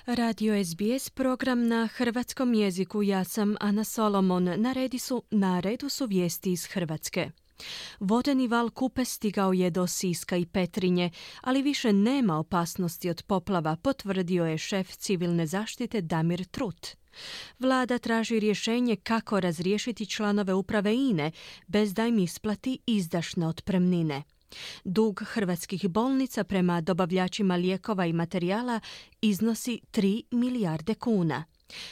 Radio SBS, program na hrvatskom jeziku. Ja sam Ana Solomon. Na redu su vijesti iz Hrvatske. Vodeni val Kupe stigao je do Siska i Petrinje, ali više nema opasnosti od poplava, potvrdio je šef civilne zaštite Damir Trut. Vlada traži rješenje kako razriješiti članove uprave INA-e bez da im isplati izdašne otpremnine. Dug hrvatskih bolnica prema dobavljačima lijekova i materijala iznosi 3 milijarde kuna.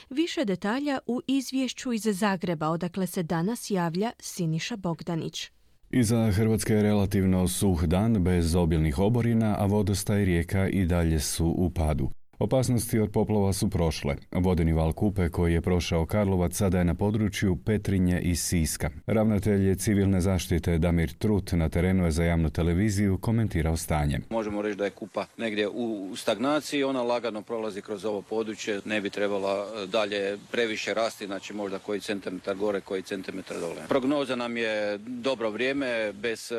Više detalja u izvješću iz Zagreba, odakle se danas javlja Siniša Bogdanić. Iza Hrvatske je relativno suh dan bez obilnih oborina, a vodostaj rijeka i dalje su u padu. Opasnosti od poplava su prošle. Vodeni val Kupe koji je prošao Karlovac sada je na području Petrinje i Siska. Ravnatelj civilne zaštite Damir Trut na terenu je za javnu televiziju komentirao stanje. Možemo reći da je Kupa negdje u stagnaciji, ona lagano prolazi kroz ovo područje, ne bi trebala dalje previše rasti, znači možda koji centimetar gore, koji centimetar dole. Prognoza nam je dobro vrijeme, bez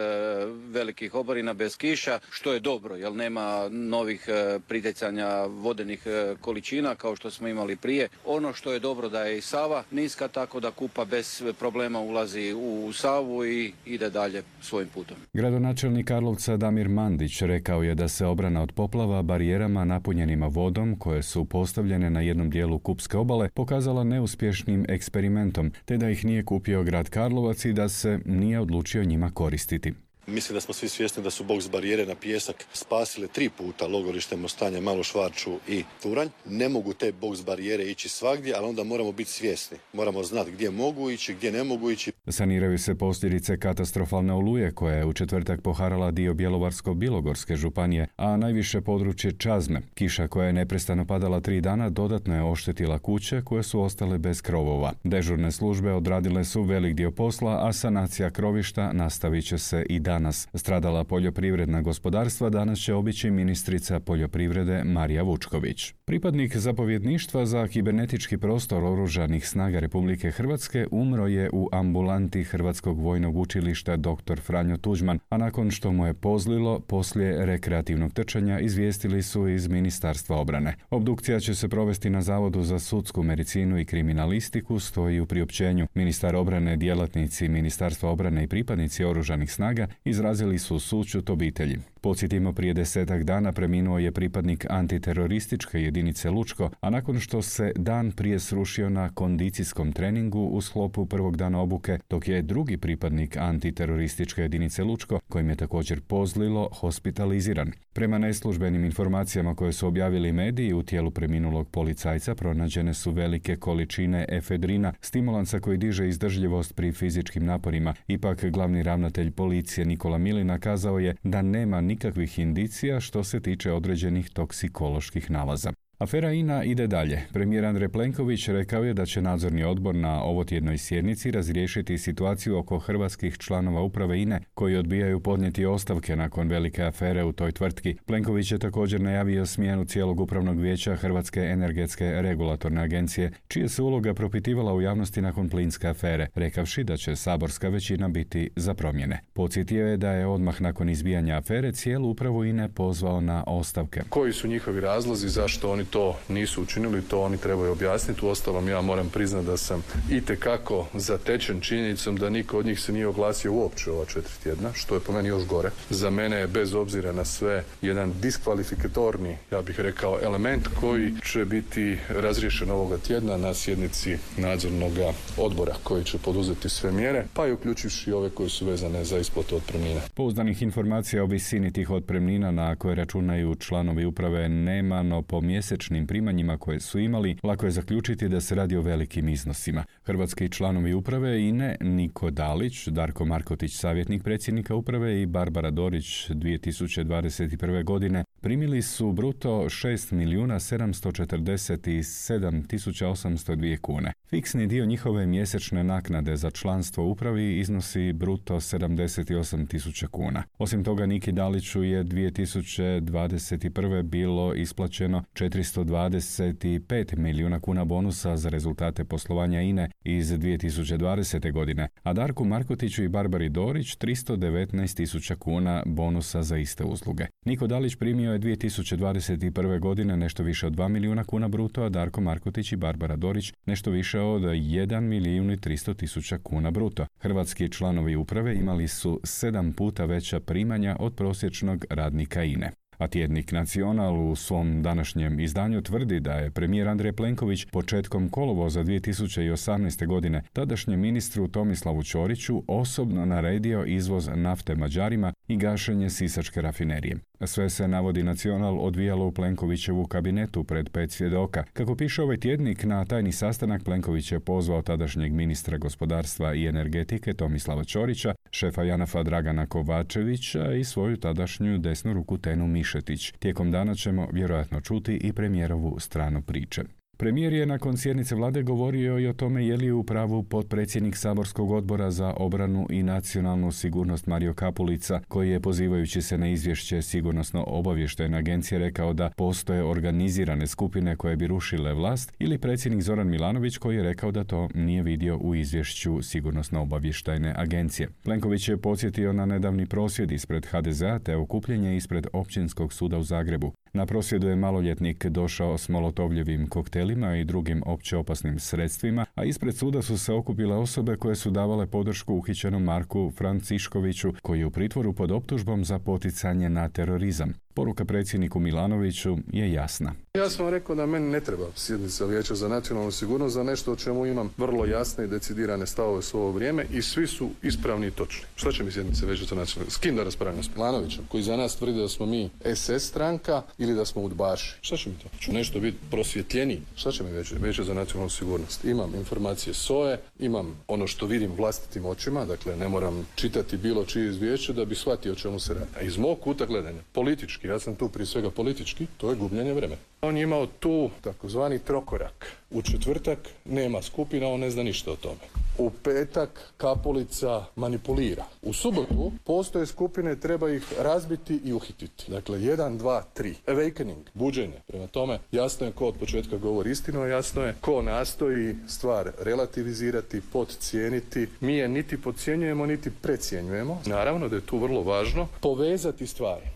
velikih oborina, bez kiša, što je dobro, jer nema novih pritjecanja vodenih količina kao što smo imali prije. Ono što je dobro da je i Sava niska, tako da Kupa bez problema ulazi u Savu i ide dalje svojim putom. Gradonačelnik Karlovca Damir Mandić rekao je da se obrana od poplava barijerama napunjenima vodom koje su postavljene na jednom dijelu Kupske obale pokazala neuspješnim eksperimentom, te da ih nije kupio grad Karlovac i da se nije odlučio njima koristiti. Mislim da smo svi svjesni da su boks barijere na pijesak spasile 3 puta logorište Mostanje, Malu Švarču i Turanj. Ne mogu te boks barijere ići svagdje, ali onda moramo biti svjesni. Moramo znati gdje mogu ići, gdje ne mogu ići. Saniraju se posljedice katastrofalne oluje koja je u četvrtak poharala dio Bjelovarsko-bilogorske županije, a najviše područje Čazme. Kiša koja je neprestano padala 3 dana dodatno je oštetila kuće koje su ostale bez krovova. Dežurne službe odradile su velik dio posla, a sanacija krovišta nastavit će se i danas. Stradala poljoprivredna gospodarstva danas će obići ministrica poljoprivrede Marija Vučković. Pripadnik zapovjedništva za kibernetički prostor Oružanih snaga Republike Hrvatske umro je u ambulanti Hrvatskog vojnog učilišta dr. Franjo Tuđman, a nakon što mu je pozlilo poslije rekreativnog trčanja, izvijestili su iz Ministarstva obrane. Obdukcija će se provesti na Zavodu za sudsku medicinu i kriminalistiku, stoji u priopćenju. Ministar obrane, djelatnici Ministarstva obrane i pripadnici Oružanih snaga izrazili su sućut obitelji. Podsjetimo, prije 10 dana preminuo je pripadnik antiterorističke jedinice Lučko, a nakon što se dan prije srušio na kondicijskom treningu u sklopu prvog dana obuke, dok je drugi pripadnik antiterorističke jedinice Lučko, kojim je također pozlilo, hospitaliziran. Prema neslužbenim informacijama koje su objavili mediji, u tijelu preminulog policajca pronađene su velike količine efedrina, stimulansa koji diže izdržljivost pri fizičkim naporima. Ipak glavni ravnatelj policije Nikola Milina kazao je da nema nikakvih indicija što se tiče određenih toksikoloških nalaza. Afera INA ide dalje. Premijer Andrej Plenković rekao je da će nadzorni odbor na ovotjednoj sjednici razriješiti situaciju oko hrvatskih članova uprave INA koji odbijaju podnijeti ostavke nakon velike afere u toj tvrtki. Plenković je također najavio smjenu cijelog upravnog vijeća Hrvatske energetske regulatorne agencije, čija se uloga propitivala u javnosti nakon plinske afere, rekavši da će saborska većina biti za promjene. Podsjetio je da je odmah nakon izbijanja afere cijelu upravu INA pozvao na ostavke. Koji su njihovi razlozi zašto oni to nisu učinili, to oni trebaju objasniti. Uostalom, ja moram priznati da sam itekako zatečen činjenicom da niko od njih se nije oglasio uopće ova 4 tjedna, što je po meni još gore. Za mene je, bez obzira na sve, jedan diskvalifikatorni, ja bih rekao, element koji će biti razriješen ovoga tjedna na sjednici nadzornog odbora koji će poduzeti sve mjere, pa i uključivši ove koje su vezane za isplatu otpremnina. Pouzdanih informacija o visini tih otpremnina na koje računaju članovi uprave nema, no po mjesečnim primanjima koje su imali, lako je zaključiti da se radi o velikim iznosima. Hrvatski članovi uprave INA-e Niko Dalić, Darko Markotić, savjetnik predsjednika uprave, i Barbara Dorić 2021. godine primili su bruto 6.747.802 kune. Fiksni dio njihove mjesečne naknade za članstvo u upravi iznosi bruto 78.000 kuna. Osim toga, Niki Daliću je 2021. bilo isplaćeno 425 milijuna kuna bonusa za rezultate poslovanja INA-e iz 2020. godine, a Darku Markotiću i Barbari Dorić 319.000 kuna bonusa za iste usluge. Niko Dalić primio je 2021. godine nešto više od 2 milijuna kuna bruto, a Darko Markotić i Barbara Dorić nešto više od 1 milijun i 300 tisuća kuna bruto. Hrvatski članovi uprave imali su 7 puta veća primanja od prosječnog radnika INE. A tjednik Nacional u svom današnjem izdanju tvrdi da je premijer Andrej Plenković početkom kolovoza 2018. godine tadašnjem ministru Tomislavu Ćoriću osobno naredio izvoz nafte Mađarima i gašenje sisačke rafinerije. Sve se, navodi Nacional, odvijalo u Plenkovićevu kabinetu pred 5 svjedoka. Kako piše ovaj tjednik, na tajni sastanak Plenković je pozvao tadašnjeg ministra gospodarstva i energetike Tomislava Ćorića, šefa JANAF-a Dragana Kovačevića i svoju tadašnju desnu ruku Tenu Mišetić. Tijekom dana ćemo vjerojatno čuti i premijerovu stranu priče. Premijer je nakon sjednice vlade govorio i o tome je li u pravu potpredsjednik saborskog odbora za obranu i nacionalnu sigurnost Mario Kapulica, koji je, pozivajući se na izvješće Sigurnosno-obavještajne agencije, rekao da postoje organizirane skupine koje bi rušile vlast, ili predsjednik Zoran Milanović, koji je rekao da to nije vidio u izvješću Sigurnosno-obavještajne agencije. Plenković je podsjetio na nedavni prosvjed ispred HDZ-a te okupljenje ispred Općinskog suda u Zagrebu. Na prosvjedu je maloljetnik došao s molotovljevim koktelima i drugim opće opasnim sredstvima, a ispred suda su se okupile osobe koje su davale podršku uhićenom Marku Franciškoviću, koji je u pritvoru pod optužbom za poticanje na terorizam. Poruka predsjedniku Milanoviću je jasna. Ja sam rekao da meni ne treba sjednica Vijeća za nacionalnu sigurnost za nešto o čemu imam vrlo jasne i decidirane stavove svo ovo vrijeme i svi su ispravni i točni. Šta će mi sjednica Vijeća za nacionalnu sigurnost? S kim da raspravljam? S Milanovićem, koji za nas tvrdi da smo mi SS stranka ili da smo udbaši. Šta će mi to? Ću nešto biti prosvjetljeniji. Šta će mi Vijeće za nacionalnu sigurnost? Imam informacije SOA-e, imam ono što vidim vlastitim očima, dakle ne moram čitati bilo čije izvješće da bi shvatio o čemu se radi. A iz mog kuta gledanja, politički, ja sam tu prije svega politički, to je gubljenje vremena. On je imao tu takozvani trokorak. U četvrtak nema skupina, on ne zna ništa o tome. U petak Kapulica manipulira. U subotu postoje skupine, treba ih razbiti i uhititi. Dakle, 1, 2, 3. Awakening, buđenje. Prema tome, jasno je ko od početka govori istinu, a jasno je ko nastoji stvar relativizirati, podcijeniti. Mi je niti podcjenjujemo, niti precijenjujemo. Naravno da je tu vrlo važno povezati stvari.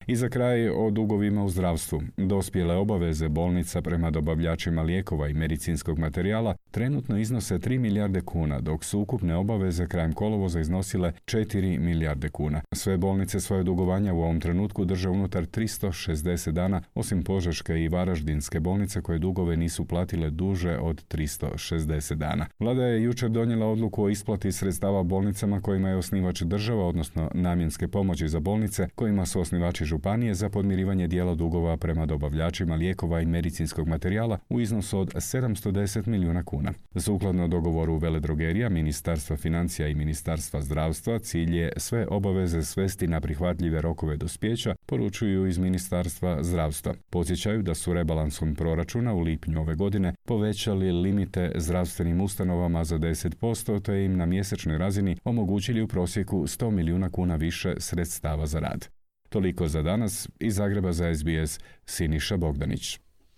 I za kraj o dugovima u zdravstvu. Dospjele obaveze bolnica prema dobavljačima lijekova i medicinskog materijala trenutno iznose 3 milijarde kuna, dok su ukupne obaveze krajem kolovoza iznosile 4 milijarde kuna. Sve bolnice svoje dugovanja u ovom trenutku drže unutar 360 dana, osim Požeške i Varaždinske bolnice koje dugove nisu platile duže od 360 dana. Vlada je jučer donijela odluku o isplati sredstava bolnicama kojima je osnivač država, odnosno namjenske pomoći za bolnice kojima su osnivači županije za podmirivanje dijela dugova prema dobavljačima lijekova i medicinskog materijala u iznosu od 710 milijuna kuna. Sukladno dogovoru veledrogerija, Ministarstva financija i Ministarstva zdravstva, cilj je sve obaveze svesti na prihvatljive rokove dospijeća, poručuju iz Ministarstva zdravstva. Podsjećaju da su rebalansom proračuna u lipnju ove godine povećali limite zdravstvenim ustanovama za 10%, te im na mjesečnoj razini omogućili u prosjeku 100 milijuna kuna više sredstava za rad. Toliko za danas. Iz Zagreba za SBS, Siniša Bogdanić.